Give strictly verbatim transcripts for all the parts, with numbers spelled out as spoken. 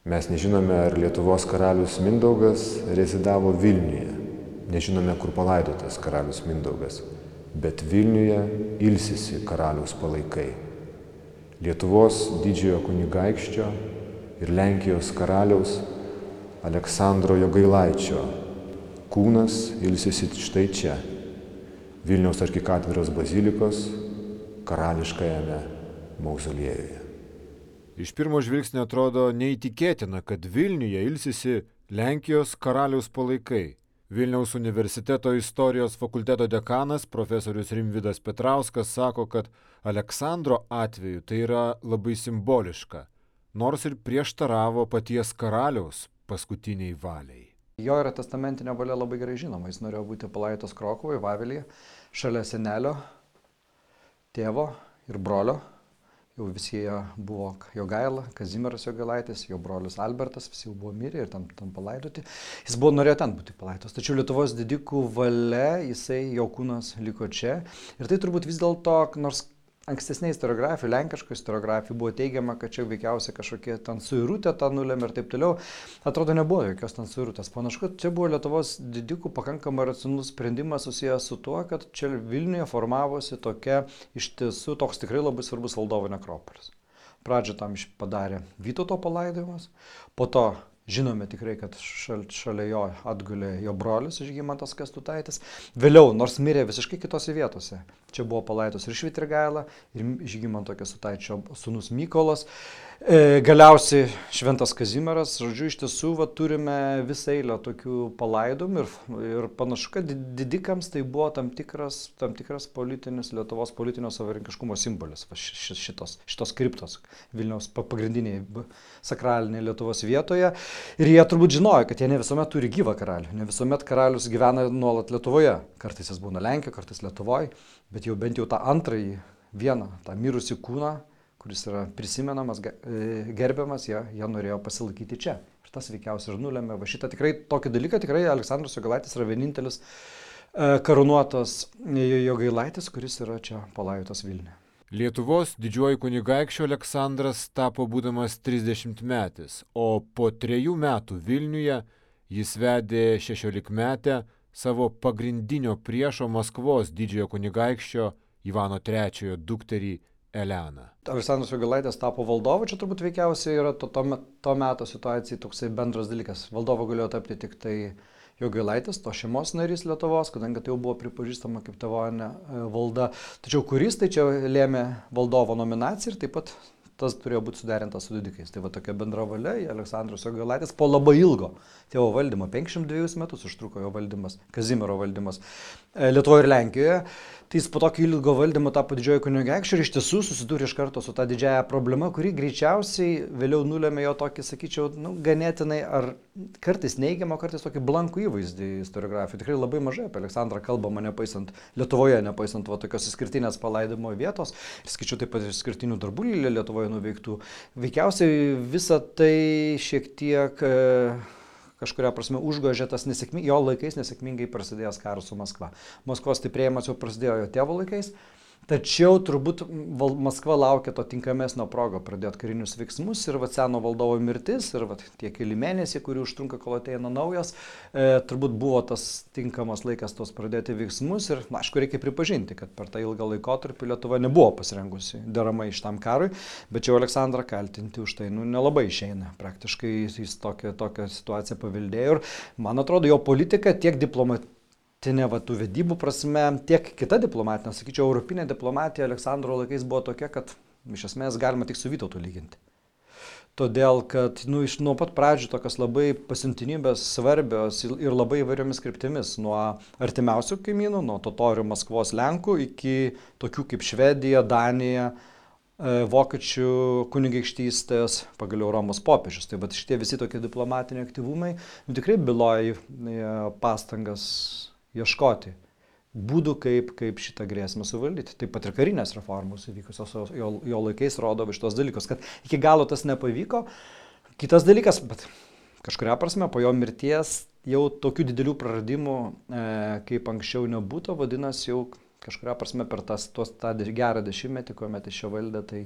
Mes nežinome, ar Lietuvos karalius Mindaugas rezidavo Vilniuje. Nežinome, kur palaidotas karalius Mindaugas. Bet Vilniuje ilsisi karaliaus palaikai. Lietuvos didžiojo kunigaikščio ir Lenkijos karaliaus Aleksandro Jogailaičio kūnas ilsisi štai čia, Vilniaus arkikatedros bazilikos karališkajame mauzoliejuje. Iš pirmo žvilgsnio atrodo neįtikėtina, kad Vilniuje ilsisi Lenkijos karaliaus palaikai. Vilniaus universiteto istorijos fakulteto dekanas profesorius Rimvydas Petrauskas sako, kad Aleksandro atveju tai yra labai simboliška, nors ir prieštaravo paties karaliaus paskutiniai valiai. Jo yra testamentinė valia labai gerai žinoma. Jis norėjo būti palaidotas Krokuvoje, Vavelyje, šalia senelio, tėvo ir brolio. Jau visi jie buvo Jogaila, Kazimieras Jogailaitis, jo brolis Albertas, visi jau buvo mirę ir ten, ten palaidoti. Jis buvo norėjo ten būti palaidotas, tačiau Lietuvos didikų valia, jisai, jo kūnas liko čia. Ir tai turbūt vis dėlto, nors ankstesnė istoriografija, lenkiška istoriografija buvo teigiama, kad čia veikiausiai kažkokie ten suirutė tą nulėmė ir taip toliau. Atrodo, nebuvo jokios ten suirutės. Panašu, kad čia buvo Lietuvos didikų pakankamai racionalus sprendimas susijęs su tuo, kad čia Vilniuje formavosi tokia iš tiesų toks tikrai labai svarbus valdovo nekropolis. Pradžią tam padarė Vytauto palaidojimas, po to žinome tikrai, kad šal, šalia jo atgulė jo brolis Žygimantas Kęstutaitis. Vėliau, nors mirė visiškai kitose vietose, čia buvo palaidotas ir Švitrigaila, ir Žygimanto Kęstutaičio sūnus Mykolas. E, galiausiai Šventas Kazimieras, žodžiu, iš tiesų va, turime visą eilę tokių palaidojimų ir, ir panašu, kad didikams tai buvo tam tikras, tam tikras politinis, Lietuvos politinio savarankiškumo simbolis, va, šitos, šitos kriptos Vilniaus pagrindiniai sakraliniai Lietuvos vietoje. Ir jie turbūt žinojo, kad jie ne visuomet turi gyvą karalių, ne visuomet karalius gyvena nuolat Lietuvoje. Kartais jis būna Lenkijoje, kartais Lietuvoje, bet jau bent jau tą antrąjį vieną, tą mirusį kūną, kuris yra prisimenamas, gerbiamas, jie, jie norėjo pasilaikyti čia. Ir tas veikiausiai ir nulėmė. Va šitą tikrai, tokį dalyką tikrai Aleksandras Jogailaitis yra vienintelis karūnuotas Jogailaitis, kuris yra čia palaidotas Vilniuje. Lietuvos didžiuoju kunigaikščiu Aleksandras tapo būdamas trisdešimtmetis, o po trejų metų Vilniuje jis vedė šešiolikmetę savo pagrindinio priešo Maskvos didžiojo kunigaikščio Ivano trečiojo dukterį Eleną. Aleksandras Jogailaitis tapo valdovu, čia turbūt veikiausiai yra to, to, to meto situacijai toksai bendras dalykas. Valdovu galėjo tapti tik tai Jogailaitis, to šeimos narys Lietuvos, kadangi tai jau buvo pripažįstama kaip tėvonė valda. Tačiau kuris tai čia lėmė valdovo nominaciją ir taip pat tas turėjo būti suderintas su didikais. Tai va tokia bendra valia, Aleksandras Jogailaitis po labai ilgo tėvo valdymo, penkiasdešimt dvejus metus užtruko jo valdymas, Kazimiero valdymas Lietuvoje ir Lenkijoje. Tai jis po tokio ilgo valdymo tapo didžiojo kunigaikščiu ir iš tiesų susidūrė iš karto su tą didžiąją problemą, kuri greičiausiai vėliau nulėmė jo tokį, sakyčiau, nu, ganėtinai ar kartais neigiamą, kartais tokį blankų įvaizdį istoriografijų. Tikrai labai mažai apie Aleksandrą kalbama, nepaisant Lietuvoje, nepaisant va, tokios išskirtinės palaidimo vietos ir skaičiau taip pat išskirtinių darbų Lietuvoje nuveiktų. Veikiausiai visa tai šiek tiek e, kažkuria prasme užgožė tas nesėkmingai, jo laikais nesėkmingai prasidėjęs karas su Maskva. Maskvos stiprėjimas jau prasidėjo jo tėvo laikais, tačiau turbūt val, Maskva laukia to tinkamesnio progo pradėti karinius veiksmus ir va, seno valdovo mirtis ir va, tie keli mėnesiai, kurių užtrunka, kol ateina naujas, e, turbūt buvo tas tinkamas laikas tos pradėti veiksmus ir, na, aišku, reikia pripažinti, kad per tą ilgą laikotarpį Lietuva nebuvo pasirengusi deramai šitam karui, bet jau Aleksandrą kaltinti už tai, nu, nelabai išeina. Praktiškai jis tokią, tokią situaciją paveldėjo ir, man atrodo, jo politika tiek diplomatinė, va, tų vedybų prasme, tiek kita diplomatinė, sakyčiau, europinė diplomatija Aleksandro laikais buvo tokia, kad iš esmės galima tik su Vytautu lyginti. Todėl, kad nu, iš nuo pat pradžių tokios labai pasiuntinybės svarbios ir labai įvairiomis kryptimis, nuo artimiausių kaimynų, nuo totorių Maskvos Lenkų iki tokių kaip Švedija, Danija, Vokiečių kunigaikštystės, pagaliau Romos popiežius. Tai bet šitie visi tokie diplomatiniai aktyvumai nu, tikrai byloja pastangas ieškoti būdų, kaip, kaip šitą grėsmę suvaldyti. Taip pat ir karinės reformos įvykusios jo, jo laikais rodo šitos dalykus, kad iki galo tas nepavyko. Kitas dalykas, bet kažkuria prasme po jo mirties jau tokių didelių praradimų, e, kaip anksčiau nebūtų, vadinasi jau kažkuria prasme per tas, tos, tą gerą dešimtmetį, kuomet iš čia valdė, tai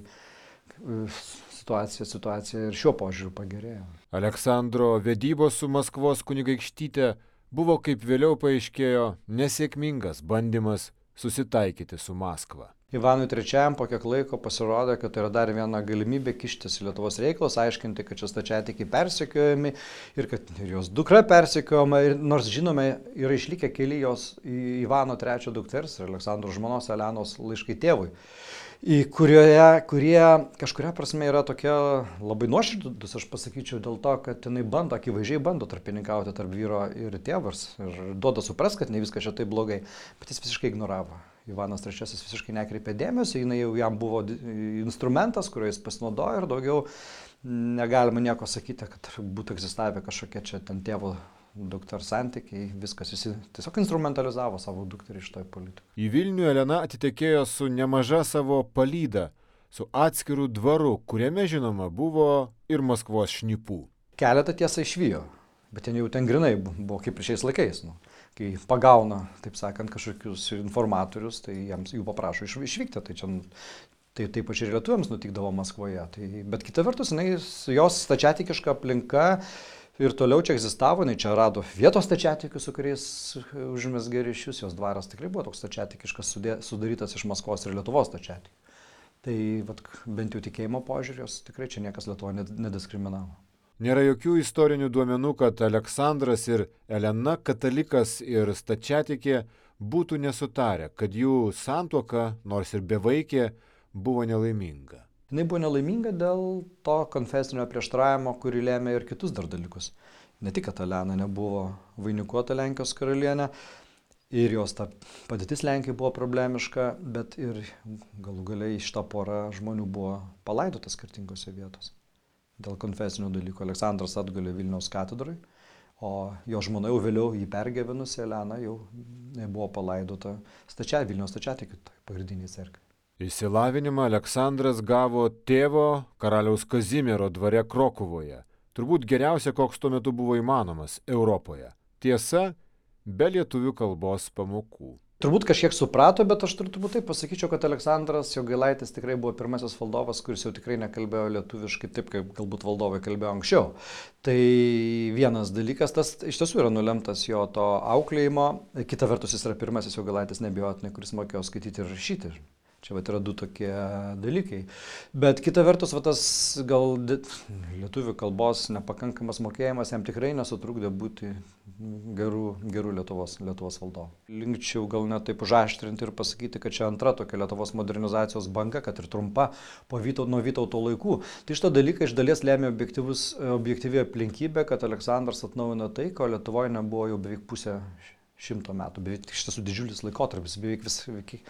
situacija, situacija ir šiuo požiūriu pagerėjo. Aleksandro vedybos su Maskvos kunigaikštyte buvo, kaip vėliau paaiškėjo, nesėkmingas bandymas susitaikyti su Maskva. Ivanui trečiajam po kiek laiko pasirodė, kad tai yra dar viena galimybė kištis į Lietuvos reikalus, aiškinti, kad čia stačiatikiai persekiojami ir kad ir jos dukra persekiojama, ir nors žinome, yra išlikę keli jos Ivano trečiojo dukters ir Aleksandro žmonos Elenos laiškai tėvui, kurioje, kurie kažkuria prasme yra tokie labai nuoširdus, aš pasakyčiau, dėl to, kad jinai bando, akivaizdžiai bando tarpininkauti tarp vyro ir tėvas ir duoda supras, kad ne viskas čia taip blogai, bet jis visiškai ignoravo. Ivanas trečiasis visiškai nekreipė dėmesio, jinai jau jam buvo instrumentas, kuriuo jis pasinaudojo ir daugiau negalima nieko sakyti, kad būtų egzistavę kažkokie čia ten tėvo dukters santykiai, viskas, jis tiesiog instrumentalizavo savo dukterį iš toj politiką. Į Vilnių Elena atitekėjo su nemaža savo palyda, su atskiru dvaru, kuriame žinoma buvo ir Maskvos šnipų. Keletą tiesą išvijo, bet ten jau ten grinai buvo kaip ir šiais laikais. Nu. Kai pagauna, taip sakant, kažkokius informatorius, tai jiems jų paprašo iš, išvykti. Tai čia tai, taip pačiai ir lietuviams nutikdavo Maskvoje. Tai, bet kita vertus, jinai, jos stačiatikiška aplinka ir toliau čia egzistavo, jinai čia rado vietos stačiatikių, su kuriais užmezgė ryšius, jos dvaras tikrai buvo toks stačiatikiškas, sudarytas iš Maskvos ir Lietuvos stačiatikių. Tai vat, bent jau tikėjimo požiūrės, tikrai čia niekas Lietuvoje nediskriminavo. Nėra jokių istorinių duomenų, kad Aleksandras ir Elena, katalikas ir stačiatikė, būtų nesutarę, kad jų santuoka, nors ir bevaikė, buvo nelaiminga. Jis buvo nelaiminga dėl to konfesinio prieštaravimo, kurį lėmė ir kitus dar dalykus. Ne tik, kad Elena nebuvo vainikuota Lenkijos karalienė ir jos ta padėtis Lenkijoje buvo problemiška, bet ir galų galiai šitą porą žmonių buvo palaidota skirtingose vietose. Dėl konfesinių dalykų Aleksandras atgulė Vilniaus katedrai, o jo žmona jau vėliau jį pergyvenusi Elena jau buvo palaidota stačia, Vilniaus stačiatikių pagrindiniai cerkvei. Išsilavinimą Aleksandras gavo tėvo karaliaus Kazimiero dvare Krokuvoje. Turbūt geriausia, koks tuo metu buvo įmanomas Europoje. Tiesa, be lietuvių kalbos pamokų. Turbūt kažkiek suprato, bet aš turbūt taip pasakyčiau, kad Aleksandras Jogailaitis tikrai buvo pirmasis valdovas, kuris jau tikrai nekalbėjo lietuviškai taip, kaip galbūt valdovai kalbėjo anksčiau. Tai vienas dalykas, tas iš tiesų yra nulemtas jo to auklėjimo. Kita vertus, jis yra pirmasis Jogailaitis neabejotinai, kuris mokėjo skaityti ir rašyti. Čia vat yra du tokie dalykai. Bet kita vertus, va, tas gal lietuvių kalbos nepakankamas mokėjimas jam tikrai nesutrukdė būti gerų, gerų Lietuvos, Lietuvos valdovu. Linkčiau gal net taip užaštrinti ir pasakyti, kad čia antra tokia Lietuvos modernizacijos banga, kad ir trumpa po Vytauto, nuo Vytauto laikų. Tai šitą dalyką iš dalies lėmė objektyvi aplinkybė, kad Aleksandras atnaujino tai, ko Lietuvoje nebuvo jau beveik pusę šimto metų. Beveik iš tiesų didžiulis laikotarpis, beveik vis... Beveik,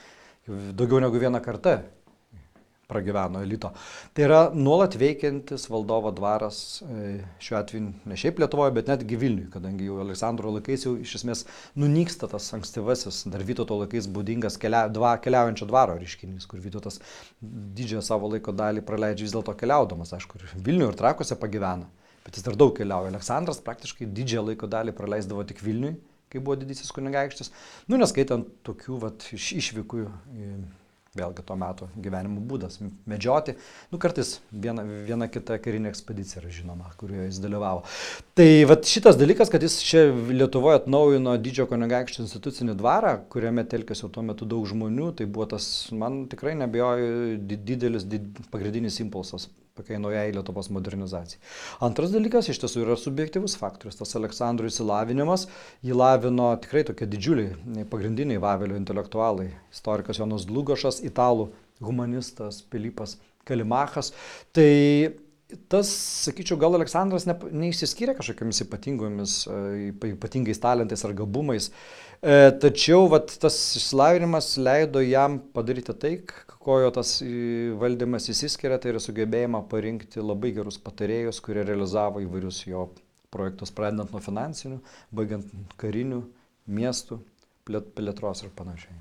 daugiau negu vieną kartą pragyveno elito. Tai yra nuolat veikiantis valdovo dvaras, šiuo atveju ne šiaip Lietuvoje, bet netgi Vilniuje, kadangi jau Aleksandro laikais jau iš esmės nunyksta tas ankstyvasis, dar Vytauto laikais būdingas kelia, dva, keliaujančio dvaro reiškinys, kur Vytautas didžiąją savo laiko dalį praleidžia vis dėlto keliaudamas, aišku, ir Vilniuje ir Trakuose pagyvena, bet jis dar daug keliauja. Aleksandras praktiškai didžiąją laiko dalį praleisdavo tik Vilniuje, kai buvo didysis kunigaikštis, nu neskaitant tokių vat, iš, išvykų, vėlgi to meto gyvenimo būdas, medžioti, nu kartais viena, viena kita karinė ekspedicija yra žinoma, kurioje jis dalyvavo. Tai vat, šitas dalykas, kad jis čia Lietuvoje atnaujino didžiojo kunigaikščio institucinį dvarą, kuriame telkėsi tuo metu daug žmonių, tai buvo tas, man tikrai neabejoju, didelis, did, pagrindinis impulsas tokiai naujai Lietuvos modernizacijai. Antras dalykas iš tiesų yra subjektyvus faktorius, tas Aleksandro išsilavinimas, jį lavino tikrai tokie didžiuliai pagrindiniai Vavelio intelektualai, istorikas Jonas Dlugošas, italų humanistas Pilypas Kalimachas. Tai tas, sakyčiau, gal Aleksandras ne, neišsiskyrė kažkokiamis ypatingomis, ypatingais talentais ar gabumais, e, tačiau vat, tas išsilavinimas leido jam padaryti tai, ko jo tas valdymas įsiskiria, tai yra sugebėjimą parinkti labai gerus patarėjus, kurie realizavo įvairius jo projektus, pradedant nuo finansinių, baigiant karinių, miestų, plėtros ir panašiai.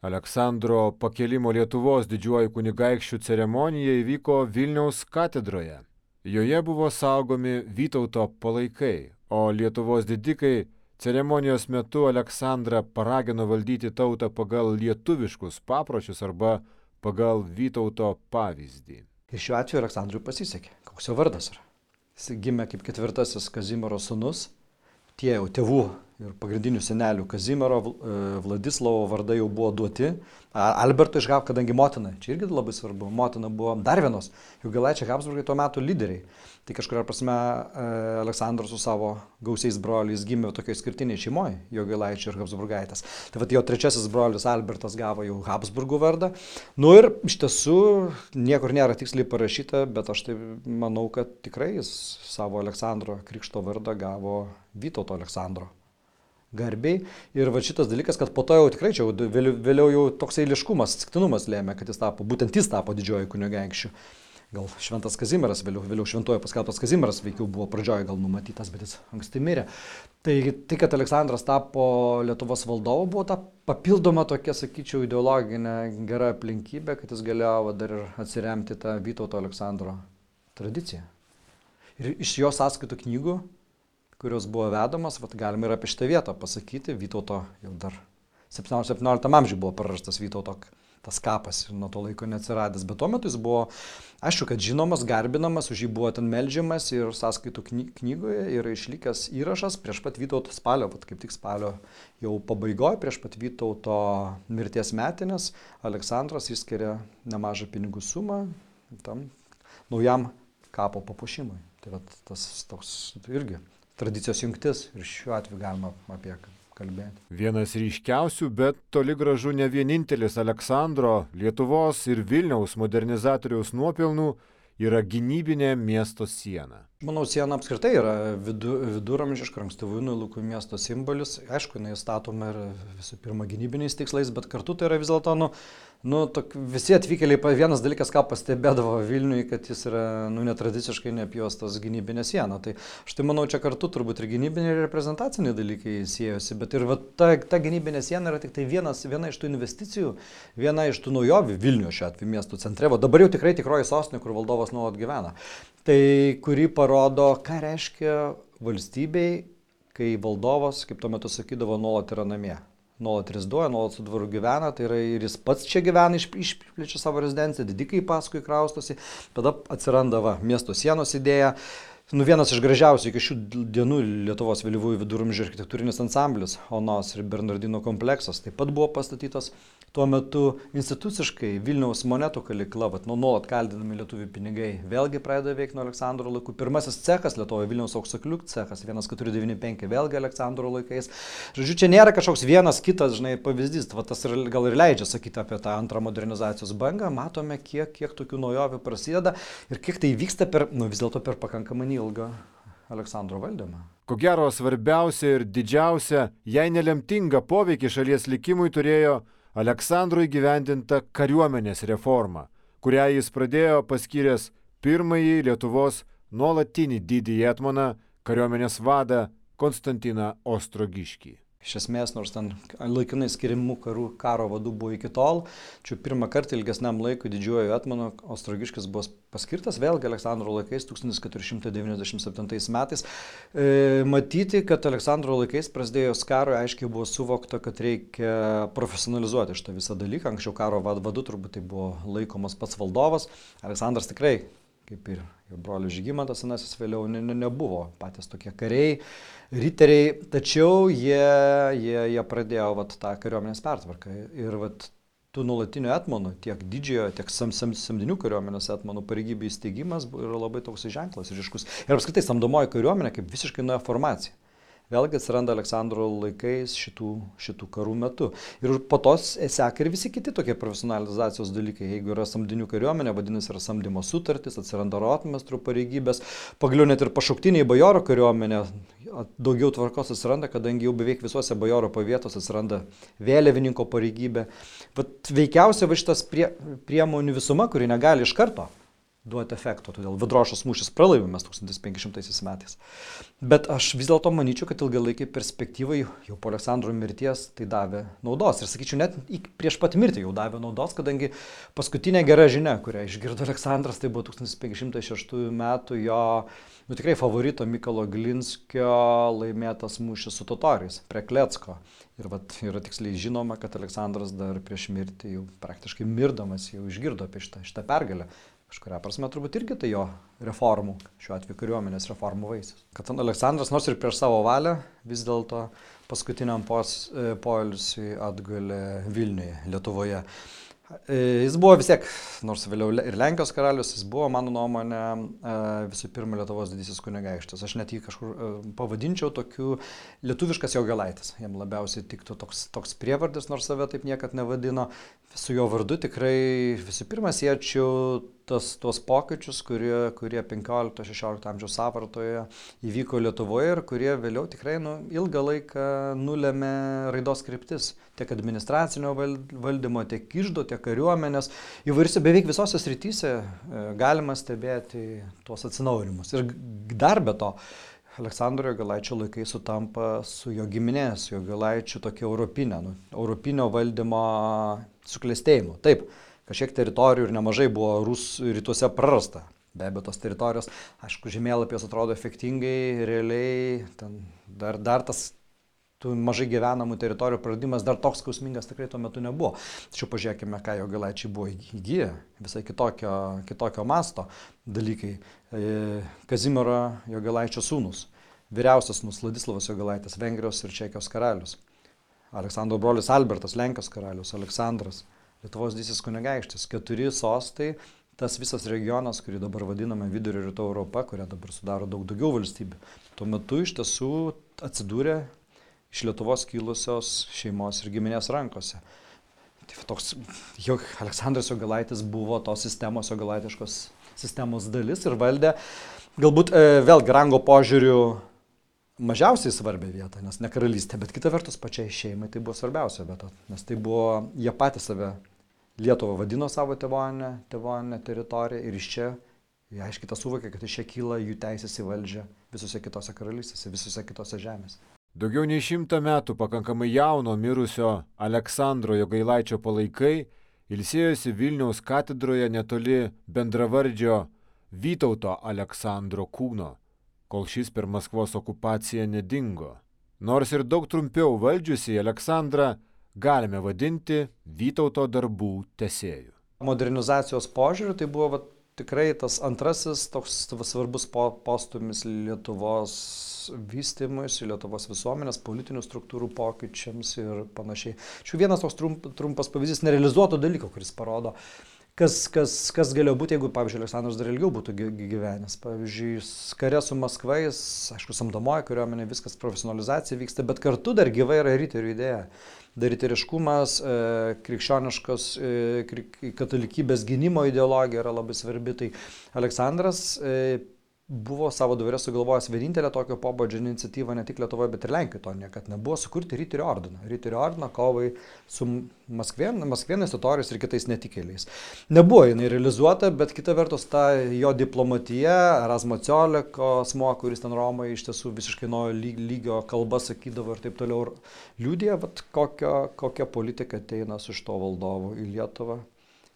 Aleksandro pakėlimo Lietuvos didžiuoju kunigaikščių ceremonija įvyko Vilniaus katedroje. Joje buvo saugomi Vytauto palaikai, o Lietuvos didikai ceremonijos metu Aleksandrą paragino valdyti tautą pagal lietuviškus papročius arba pagal Vytauto pavyzdį. Ir šiuo atveju Aleksandrui pasisekė. Koks jo vardas yra? Jis gimė kaip ketvirtasis Kazimiero sūnus. Tie jau tėvų ir pagrindinių senelių Kazimiero, Vladislovo vardai jau buvo duoti. Alberto išgavo, kadangi motina, čia irgi labai svarbu, motina buvo dar vienos Jogailaičiai Habsburgai tuo metu lyderiai. Tai kažkuria prasme Aleksandras su savo gausiais broliais gimė tokioje skirtiniai šeimoje, Jogailaičiai ir Habsburgaitės. Tai vat jo trečiasis brolis Albertas gavo jau Habsburgų vardą. Nu ir iš tiesų niekur nėra tiksliai parašyta, bet aš tai manau, kad tikrai jis savo Aleksandro krikšto vardą gavo Vytauto Aleksandro garbiai. Ir va šitas dalykas, kad po to jau tikrai čia vėliau, vėliau jau toks eiliškumas, atsitiktinumas lėmė, kad jis tapo, būtent jis tapo didžioji kunigaikščiu. Gal Šventas Kazimieras, vėliau, vėliau šventojo paskelbtas Kazimieras veikiau buvo pradžioje gal numatytas, bet jis anksti mirė. Tai, tai, kad Aleksandras tapo Lietuvos valdovu, buvo ta papildoma tokia, sakyčiau, ideologinė gera aplinkybė, kad jis galėjo dar ir atsiremti tą Vytauto Aleksandro tradiciją. Ir iš jo sąskaitų knygų, kurios buvo vedamas, vat galima ir apie šitą vietą pasakyti, Vytauto jau dar septynioliktam amžiuje buvo prarastas Vytauto tas kapas ir nuo to laiko neatsiradęs, bet tuo metu jis buvo, aišku, kad žinomas, garbinamas, už jį buvo ten meldžiamas ir sąskaitų knygoje yra išlikęs įrašas prieš pat Vytauto spalio, vat kaip tik spalio jau pabaigoje, prieš pat Vytauto mirties metinės, Aleksandras išskiria nemažą pinigų sumą tam naujam kapo papuošimui. Tai vat tas toks irgi tradicijos jungtis ir šiuo atveju galima apie kalbėti. Vienas ryškiausių, bet toli gražu ne vienintelis Aleksandro, Lietuvos ir Vilniaus modernizatoriaus nuopelnų yra gynybinė miesto siena. Manau, siena apskritai yra vidu, viduramžiška, ankstyvųjų laikų miesto simbolis. Aišku, jinai statoma ir visų pirma gynybiniais tikslais, bet kartu tai yra vis dėlto, nu, nu tok, visi atvykėliai, vienas dalykas, ką pastebėdavo Vilniui, kad jis yra nu, netradiciškai neapjuostas gynybinė siena. Tai aš tai manau, čia kartu turbūt ir gynybiniai ir reprezentaciniai dalykai siejosi, bet ir va, ta, ta gynybinė siena yra tik tai vienas, viena iš tų investicijų, viena iš tų naujovių Vilniuje šiuo atveju miesto centre. Va, dabar jau tikrai tikroji sostinė, kur valdovas nuolat gyvena. Tai kuri parodo, ką reiškia valstybei, kai valdovas, kaip tuo metu sakydavo, nuolat yra namie. Nuolat reziduoja, nuolat su dvaru gyvena, tai yra ir jis pats čia gyvena, išplečia savo rezidenciją, didikai paskui kraustosi, tada atsiranda va, miesto sienos idėja. Nu, vienas iš gražiausių iki šių dienų Lietuvos vėlyvųjų viduramžių architektūrinis ansamblis Onos ir Bernardino kompleksas taip pat buvo pastatytas. Tuo metu instituciškai Vilniaus monetų kalykla, nu, nuolat kaldinami lietuvių pinigai, vėlgi pradeda veikti nuo Aleksandro laikų. Pirmasis cechas Lietuvoje, Vilniaus auksaklių cechas, vienas keturi devyni penki, vėlgi Aleksandro laikais. Žodžiu, čia nėra kažkoks vienas kitas, žinai, pavyzdys. Va, tas ir, gal ir leidžia sakyti apie tą antrą modernizacijos bangą. Matome, kiek, kiek tokių naujovių prasideda ir kiek tai vyksta per, nu, vis dėlto per pakankamai ilgą Aleksandro valdymą. Ko gero svarbiausia ir didžiausia, jei nelemtinga poveikį šalies likimui turėjo Aleksandro įgyvendinta kariuomenės reforma, kurią jis pradėjo paskyręs pirmąjį Lietuvos nuolatinį didįjį etmoną kariuomenės vadą Konstantiną Ostrogiškį. Iš esmės, nors ten laikinai skiriamų karų, karo vadų buvo iki tol, čia pirmą kartą ilgesniam laikui didžiuoju etmonu Ostrogiškis buvo paskirtas, vėlgi Aleksandro laikais, tūkstantis keturi šimtai devyniasdešimt septintais metais. E, matyti, kad Aleksandro laikais prasidėjus karui, aiškiai buvo suvokta, kad reikia profesionalizuoti šitą visą dalyką. Anksčiau karo vadu turbūt tai buvo laikomas pats valdovas. Aleksandras tikrai, kaip ir jo brolius Žygimantas senasis vėliau, ne, ne, nebuvo patys tokie kariai, riteriai, tačiau jie, jie, jie pradėjo vat, tą kariuomenės pertvarką. Ir vat, tų nuolatinių etmonų, tiek didžiojo, tiek sam, sam, samdinių kariuomenės etmonų pareigybių įsteigimas yra labai toks ženklas ryškus. Ir apskritai samdomoji kariuomenė kaip visiškai nauja formacija. Vėlgi atsiranda Aleksandro laikais šitų, šitų karų metu. Ir po to seka ir visi kiti tokie profesionalizacijos dalykai. Jeigu yra samdinių kariuomenė, vadinasi yra samdymo sutartis, atsiranda rotmestrų pareigybės, pagaliau net ir pašauktiniai bajoro kariuomenė, daugiau tvarkos atsiranda, kadangi jau beveik visuose bajoro pavietos atsiranda vėliavininko pareigybė. Bet veikiausiai va šitas prie, priemonių visuma, kuri negali iš karto duoti efekto, todėl Vidrošos mūšis pralaimimas tūkstantis penki šimtaisiais metais. Bet aš vis dėlto manyčiau, kad ilgalaikiai perspektyvai jau po Aleksandro mirties tai davė naudos. Ir sakyčiau, net prieš pat mirtį jau davė naudos, kadangi paskutinė gera žinia, kurią išgirdo Aleksandras, tai buvo tūkstantis penki šimtai šeštųjų metų jo nu, tikrai favorito Mykolo Glinskio laimėtas mūšis su totoriais prie Klecko. Ir vat, yra tiksliai žinoma, kad Aleksandras dar prieš mirtį jau praktiškai mirdamas jau išgirdo apie šitą, šitą pergalę. Kažkuria prasme turbūt irgi tai jo reformų, šiuo atveju kariuomenės reformų vaisius. Kad Aleksandras nors ir prieš savo valią vis dėlto paskutiniam poilsiui atgulė Vilniuje, Lietuvoje. Jis buvo vis tiek, nors vėliau ir Lenkijos karalius, jis buvo, mano nuomonė, visų pirma Lietuvos didysis kunigaikštis. Aš net jį kažkur pavadinčiau tokiu lietuviškas Jogailaitis. Jam labiausiai tiktų toks, toks prievardis, nors save taip niekad nevadino. Su jo vardu tikrai visų pirma siečiau tas, tuos pokyčius, kurie, kurie penkiolikto šešiolikto amžiaus sąvartoje įvyko Lietuvoje ir kurie vėliau tikrai nu, ilgą laiką nulėmė raidos kryptis. Tiek administracinio valdymo, tiek iždo, tiek kariuomenės. Įvairiuose beveik visose srityse galima stebėti tuos atsinaujinimus. Ir dar be to, Aleksandro Jogailaičio laikai sutampa su jo giminės, Jogailaičių tokia europinė, nu, europinio valdymo suklestėjimu. Taip, kažkiek teritorijų ir nemažai buvo Rusų rytuose prarasta. Be abejo, tos teritorijos, aišku, žemėlapės atrodo efektingai, realiai, ten dar, dar tas tų mažai gyvenamų teritorijų praradimas dar toks skausmingas tikrai tuo metu nebuvo. Tačiau pažiūrėkime, ką Jogailaičiai buvo įgyję, visai kitokio, kitokio masto dalykai. Kazimiero Jogailaičio sūnus, vyriausias sūnus Vladislavas Jogailaitis, Vengrijos ir Čekijos karalius. Aleksandro brolis Albertas, Lenkijos karalius, Aleksandras, Lietuvos didysis kunigaikštis, keturi sostai, tas visas regionas, kurį dabar vadiname Vidurio rytų Europa, kurią dabar sudaro daug daugiau valstybių, tuo metu iš tiesų atsidūrė iš Lietuvos kilusios šeimos ir giminės rankose. Tai toks, jau Aleksandras Jogailaitis buvo tos sistemos, jogailaitiškos sistemos dalis ir valdė, galbūt e, vėlgi rango požiūrių mažiausiai svarbią vietą, nes ne karalystė, bet kita vertus pačiai šeimai tai buvo svarbiausia vieta, nes tai buvo, jie patys save Lietuvą vadino savo tėvonę, tėvonę teritoriją ir iš čia jie aiškiai tą suvokė, kad iš čia kyla jų teisės į valdžią visose kitose karalystėse, visose kitose žemėse. Daugiau nei šimtą metų pakankamai jauno mirusio Aleksandro Jogailaičio palaikai ilsėjosi Vilniaus katedroje netoli bendravardžio Vytauto Aleksandro kūno, kol šis per Maskvos okupaciją nedingo. Nors ir daug trumpiau valdžiusi Aleksandrą galime vadinti Vytauto darbų tęsėju. Modernizacijos požiūriu tai buvo va, tikrai tas antrasis toks svarbus postūmis Lietuvos vystymuisi, Lietuvos visuomenės, politinių struktūrų pokyčiams ir panašiai. Šiuo vienas toks trump, trumpas pavyzdys nerealizuoto dalyko, kuris parodo, kas, kas, kas galėjo būti, jeigu, pavyzdžiui, Aleksandras dar ilgiau būtų gyvenęs. Pavyzdžiui, kare su Maskvais, aišku, samdomoji kariuomenė, viskas profesionalizacija vyksta, bet kartu dar gyva yra riterių idėja. Dar riteriškumas, krikščioniškos katalikybės gynimo ideologija yra labai svarbi. Tai Aleksandras buvo savo dvare sugalvojęs vienintelę tokio pobūdžio iniciatyvą ne tik Lietuvoje, bet ir Lenkijoje, to niekad nebuvo, sukurti riterių ordiną. Riterių ordiną kovai su Maskvėn, Maskvėnais, totoriais ir kitais netikėliais. Nebuvo jinai realizuota, bet kita vertus ta jo diplomatija, Erasmo Cioleko asmuo, kuris ten Romoje iš tiesų visiškai nuo lygio kalbą sakydavo ir taip toliau, liudija, kokia, kokia politika ateina su šito valdovu į Lietuvą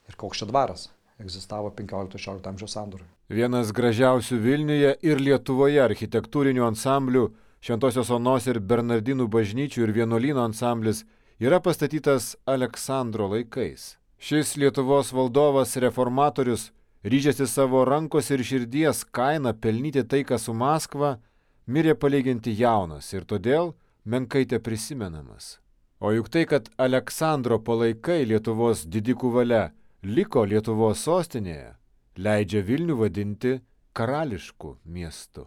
ir koks čia dvaras egzistavo penkiolikto šešiolikto amžiaus sandūroje. Vienas gražiausių Vilniuje ir Lietuvoje architektūrinių ansamblių, Šventosios Onos ir Bernardinų bažnyčių ir vienuolyno ansamblis yra pastatytas Aleksandro laikais. Šis Lietuvos valdovas reformatorius, ryžęsis savo rankos ir širdies kainą pelnyti taiką su Maskva, mirė palyginti jaunas ir todėl menkai teprisimenamas. O juk tai, kad Aleksandro palaikai Lietuvos didikų valia liko Lietuvos sostinėje, leidžia Vilnių vadinti karališku miestu.